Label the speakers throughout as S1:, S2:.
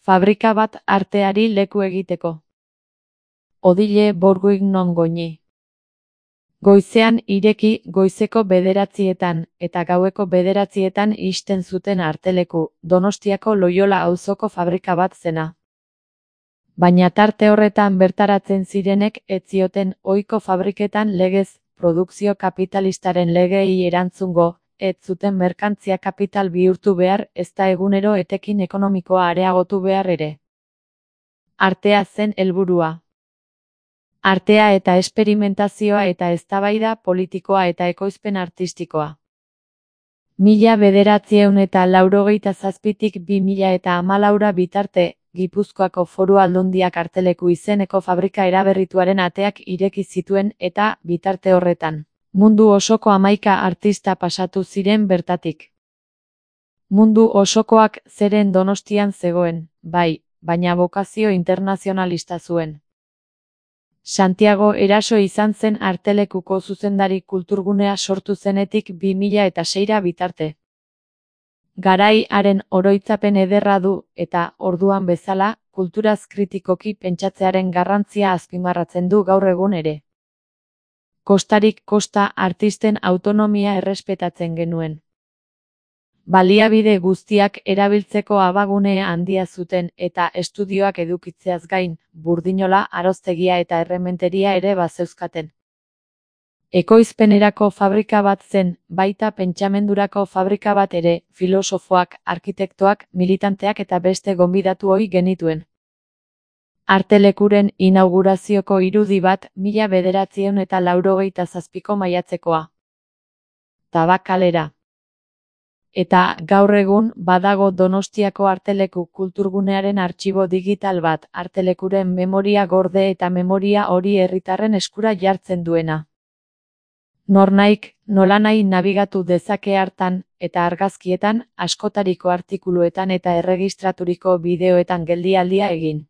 S1: Fabrika bat arteari leku egiteko. Odile Bourguignon goñi. Goizean ireki goizeko 9etan eta gaueko 9etan ixten zuten arteleku, Donostiako Loiola auzoko fabrika bat zena. Baina tarte horretan bertaratzen zirenek ez zioten ohiko fabriketan legez, produkzio kapitalistaren legeei erantzungo, ez zuten merkantzia kapital bihurtu behar ezta egunero etekin ekonomikoa areagotu behar ere. Artea zen helburua. Artea eta esperimentazioa eta eztabaida politikoa eta ekoizpen artistikoa. 1987tik 2014 bitarte, Gipuzkoako Foru Aldundiak arteleku izeneko fabrika eraberrituaren ateak ireki zituen eta, bitarte horretan, mundu osoko 11 artista pasatu ziren bertatik. Mundu osokoak zeren Donostian zegoen, bai, baina bokazio internazionalista zuen. Santiago Eraso izan zen artelekuko zuzendari kulturgunea sortu zenetik 2006 bitarte. Garai haren oroitzapen ederra du eta, orduan bezala, kulturaz kritikoki pentsatzearen garrantzia azpimarratzen du gaur egun ere. Kostarik kosta artisten autonomia errespetatzen genuen. Baliabide guztiak erabiltzeko abagune handia zuten eta estudioak edukitzeaz gain, burdinola, aroztegia eta errementeria ere bazeuzkaten. Ekoizpenerako fabrika bat zen, baita pentsamendurako fabrika bat ere, filosofoak, arkitektoak, militanteak eta beste gonbidatu ohi genituen. Artelekuren inaugurazioko irudi bat 1987ko maiatzekoa. Tabakalera. Eta, gaur egun, badago Donostiako arteleku kulturgunearen artxibo digital bat, artelekuren memoria gorde eta memoria hori herritarren eskura jartzen duena. Nornaik, nolanahi nabigatu dezake hartan, eta argazkietan, askotariko artikuluetan eta erregistraturiko bideoetan geldialdia egin.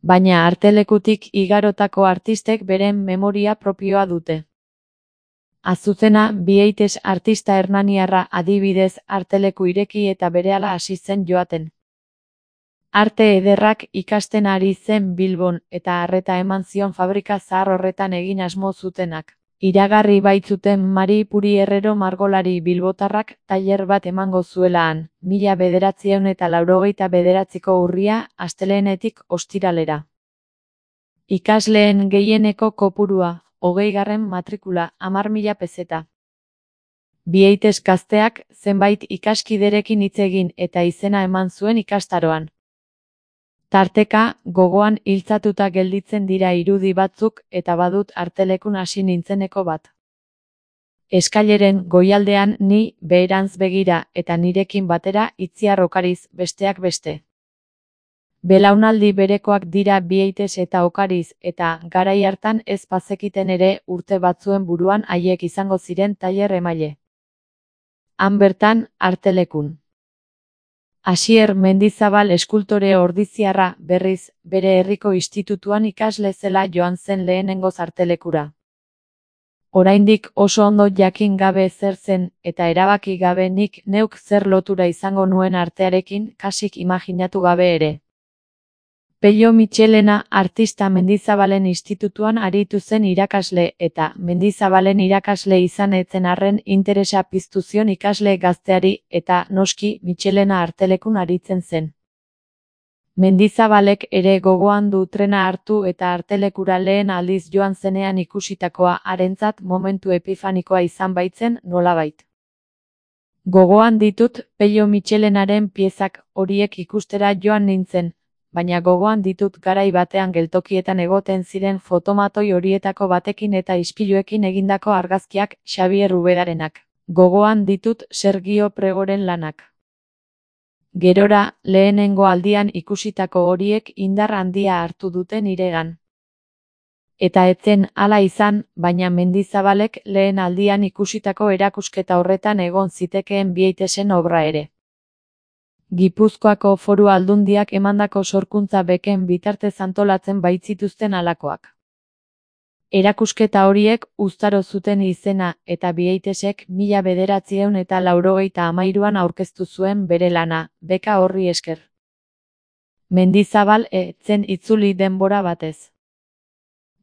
S1: Baina artelekutik igarotako artistek beren memoria propioa dute. Azuzena, Bieites artista hernaniarra adibidez arteleku ireki eta berehala hasi zen joaten. Arte ederrak ikasten ari zen Bilbon eta arreta eman zion fabrika zahar horretan egin asmo zutenak. Iragarri baitzuten Mari Puri Herrero margolari bilbotarrak tailer bat emango zuela han, 1989ko urria, astelehenetik ostiralera. Ikasleen gehieneko kopurua, 20. matrikula, 10.000 pezeta. Bieites gazteak zenbait ikaskiderekin hitz egin eta izena eman zuen ikastaroan. Tarteka, gogoan iltzatuta gelditzen dira irudi batzuk eta badut artelekun hasi nintzeneko bat. Eskaileren goialdean ni, beherantz begira eta nirekin batera Itziar Okariz, besteak beste. Belaunaldi berekoak dira Bieites eta Okariz eta, garai hartan ez bazekiten ere urte batzuen buruan haiek izango ziren tailer emaile. Han bertan, artelekun. Asier Mendizabal eskultore ordiziarra, berriz, bere herriko institutuan ikasle zela joan zen lehenengoz artelekura. Oraindik oso ondo jakin gabe zer zen, eta erabaki gabe nik neuk zer lotura izango nuen artearekin, kasik imaginatu gabe ere. Pello Michelena artista Mendizabalen institutuan aritu zen irakasle eta Mendizabalen irakasle izan etzen arren interesa piztu zion ikasle gazteari eta noski Michelena artelekun aritzen zen. Mendizabalek ere gogoan du trena hartu eta artelekura lehen aldiz joan zenean ikusitakoa harentzat momentu epifanikoa izan baitzen nolabait. Gogoan ditut Pello Michelenaren piezak horiek ikustera joan nintzen, baina gogoan ditut garai batean geltokietan egoten ziren fotomatoi horietako batekin eta ispiluekin egindako argazkiak Xabier Ubedarenak. Gogoan ditut Sergio Pregoren lanak. Gerora, lehenengo aldian ikusitako horiek indar handia hartu dute niregan. Eta etzen hala izan, baina Mendizabalek lehen aldian ikusitako erakusketa horretan egon zitekeen Bietesen obra ere. Gipuzkoako Foru Aldundiak emandako sorkuntza beken bitartez antolatzen baitzituzten halakoak. Erakusketa horiek uztaro zuten izena eta Bietesek 1993an aurkeztu zuen bere lana, beka horri esker. Mendizabal ez zen itzuli denbora batez.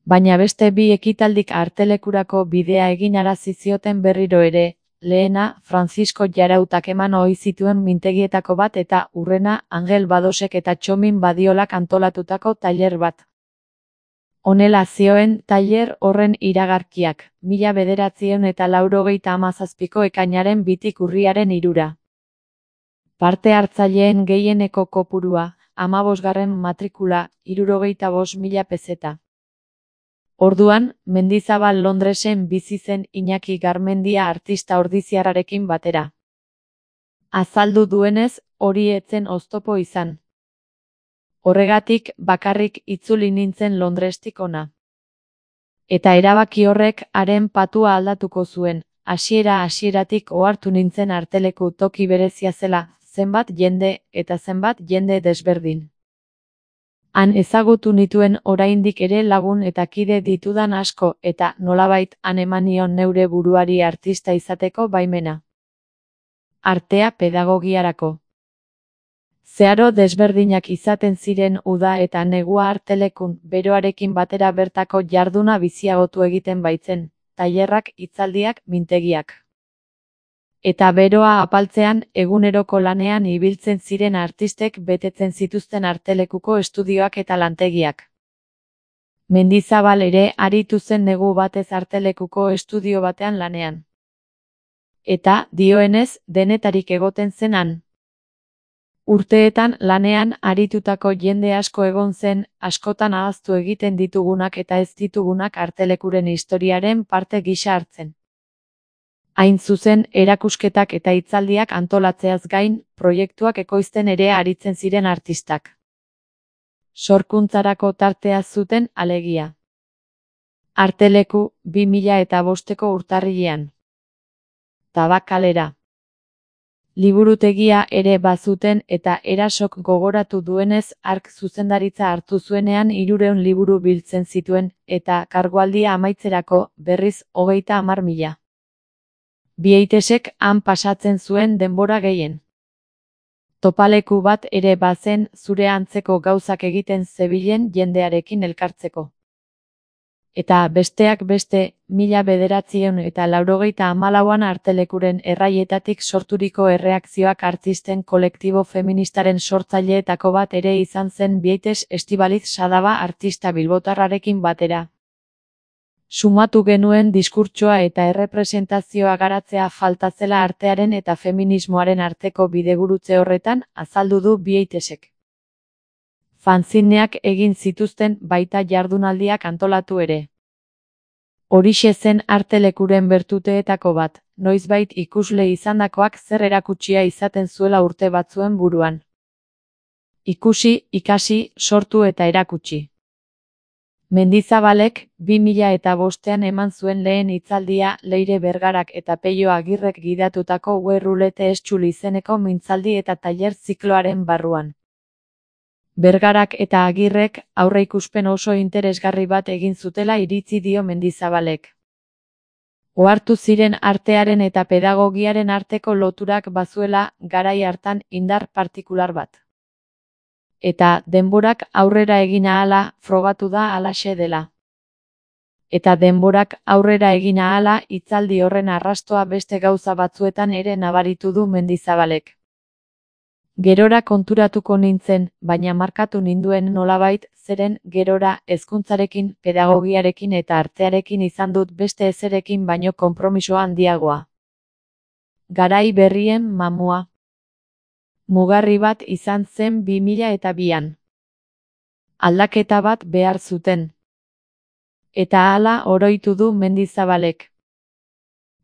S1: Baina beste bi ekitaldik artelekurako bidea eginarazi zioten berriro ere, lehena Francisco Jarautak eman ohi zituen mintegietako bat eta hurrena Angel Badosek eta Txomin Badiolak antolatutako tailer bat. Honela zioen tailer horren iragarkiak, 1997ko ekainaren 2tik urriaren 3. Parte hartzaileen gehieneko kopurua, 15. matrikula, 65.000 peseta. Orduan, Mendizabal Londresen bizi zen Iñaki Garmendia artista ordiziarrarekin batera. Azaldu duenez, hori ez zen oztopo izan. Horregatik, bakarrik itzuli nintzen Londrestik hona. Eta erabaki horrek haren patua aldatuko zuen, hasieratik ohartu nintzen arteleku toki berezia zela, zenbat jende eta zenbat jende desberdin. Han ezagutu nituen oraindik ere lagun eta kide ditudan asko eta nolabait han eman nion neure buruari artista izateko baimena. Artea pedagogiarako. Zeharo desberdinak izaten ziren uda eta negua artelekun, beroarekin batera bertako jarduna biziagotu egiten baitzen, tailerrak, hitzaldiak, mintegiak. Eta beroa apaltzean, eguneroko lanean ibiltzen ziren artistek betetzen zituzten artelekuko estudioak eta lantegiak. Mendizabal ere aritu zen negu batez artelekuko estudio batean lanean. Eta, dioenez, denetarik egoten zen han. Urteetan lanean aritutako jende asko egon zen, askotan ahaztu egiten ditugunak eta ez ditugunak artelekuren historiaren parte gisa hartzen. Hain zuzen, erakusketak eta hitzaldiak antolatzeaz gain, proiektuak ekoizten ere aritzen ziren artistak. Sorkuntzarako tartea zuten alegia. Arteleku, 2005ko urtarrilean. Tabakalera. Liburutegia ere bazuten eta Erasok gogoratu duenez hark zuzendaritza hartu zuenean 300 liburu biltzen zituen eta kargualdia amaitzerako berriz 30.000. Bieitesek han pasatzen zuen denbora gehien. Topaleku bat ere bazen zure antzeko gauzak egiten zebilen jendearekin elkartzeko. Eta besteak beste, 1994an artelekuren erraietatik sorturiko erreakzioak artisten kolektibo feministaren sortzaileetako bat ere izan zen Bieites Estibaliz Sadaba artista bilbotarrarekin batera. Sumatu genuen diskurtsoa eta errepresentazioa garatzea falta zela artearen eta feminismoaren arteko bidegurutze horretan, azaldu du Bieitesek. Fanzineak egin zituzten baita jardunaldiak antolatu ere. Horixe zen artelekuren bertuteetako bat, noizbait ikusle izandakoak zer erakutsia izaten zuela urte batzuen buruan. Ikusi, ikasi, sortu eta erakutsi. Mendizabalek 2005an eman zuen lehen hitzaldia Leire Bergarak eta Peio Agirrek gidatutako Werrulete Estxul izeneko mintzaldi eta tailer zikloaren barruan. Bergarak eta Agirrek aurreikuspen oso interesgarri bat egin zutela iritzi dio Mendizabalek. Ohartu ziren artearen eta pedagogiaren arteko loturak bazuela garai hartan indar partikular bat. Eta denborak aurrera egin ahala frogatu da halaxe dela. Eta denborak aurrera egin ahala hitzaldi horren arrastoa beste gauza batzuetan ere nabaritu du Mendizabalek. Gerora konturatuko nintzen, baina markatu ninduen nolabait, zeren gerora hezkuntzarekin, pedagogiarekin eta artearekin izan dut beste ezerekin baino konpromiso handiagoa. Garai berrien mamua. Mugarri bat izan zen 2002an. Aldaketa bat behar zuten. Eta hala oroitu du Mendizabalek.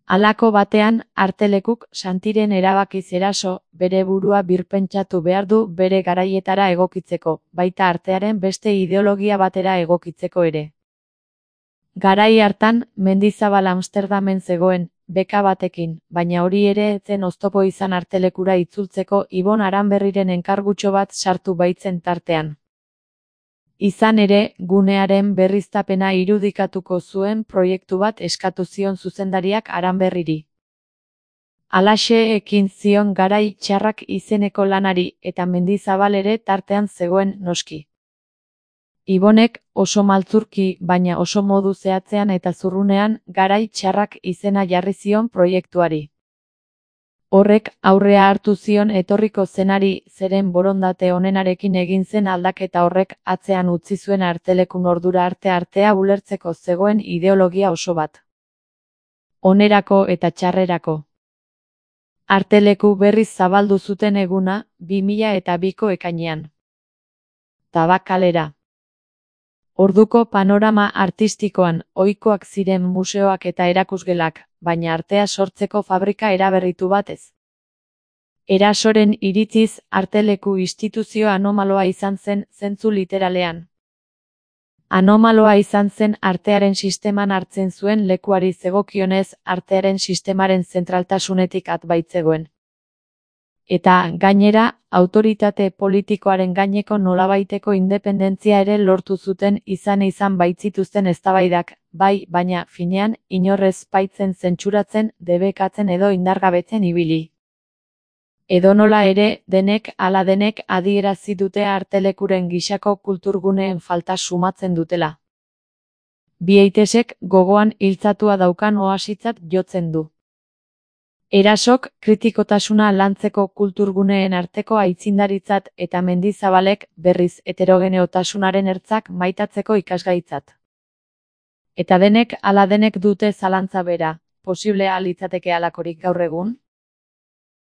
S1: Halako batean, artelekuk Santiren erabakiz eraso, bere burua birpentsatu behar du bere garaietara egokitzeko, baita artearen beste ideologia batera egokitzeko ere. Garai hartan, Mendizabal Amsterdamen zegoen, beka batekin, baina hori ere ez zen oztopo izan artelekura itzultzeko Ibon Aranberriren enkargutxo bat sartu baitzen tartean. Izan ere, gunearen berriztapena irudikatuko zuen proiektu bat eskatu zion zuzendariak Aranberriri. Halaxe ekin zion Garai Txarrak izeneko lanari eta Mendizabal ere tartean zegoen noski. Ibonek oso maltzurki baina oso modu zehatzean eta zurrunean Garai Txarrak izena jarri zion proiektuari. Horrek aurrea hartu zion etorriko zenari zeren borondate onenarekin egin zen aldaketa horrek atzean utzi zuen artelekun ordura artea ulertzeko zegoen ideologia oso bat. Onerako eta txarrerako. Arteleku berriz zabaldu zuten eguna 2002ko ekainean. Tabakalera. Orduko panorama artistikoan ohikoak ziren museoak eta erakusgelak, baina artea sortzeko fabrika eraberritu batez. Erasoren iritziz, arteleku instituzio anomaloa izan zen zentzu literalean. Anomaloa izan zen artearen sisteman hartzen zuen lekuari zegokionez artearen sistemaren zentraltasunetik at baitzegoen. Eta, gainera, autoritate politikoaren gaineko nolabaiteko independentzia ere lortu zuten izan baitzituzten eztabaidak, bai, baina, finean, inorrez baitzen zentsuratzen, debekatzen edo indargabetzen ibili. Edonola ere, denek ala denek adierazi dute artelekuren gisako kulturguneen falta sumatzen dutela. Biaitesek gogoan hiltzatua daukan oasitzat jotzen du. Erasok kritikotasuna lantzeko kulturguneen arteko aitzindaritzat eta Mendizabalek berriz heterogeneotasunaren ertzak maitatzeko ikasgaitzat. Eta denek ala denek dute zalantza bera, posiblea litzateke halakorik gaur egun?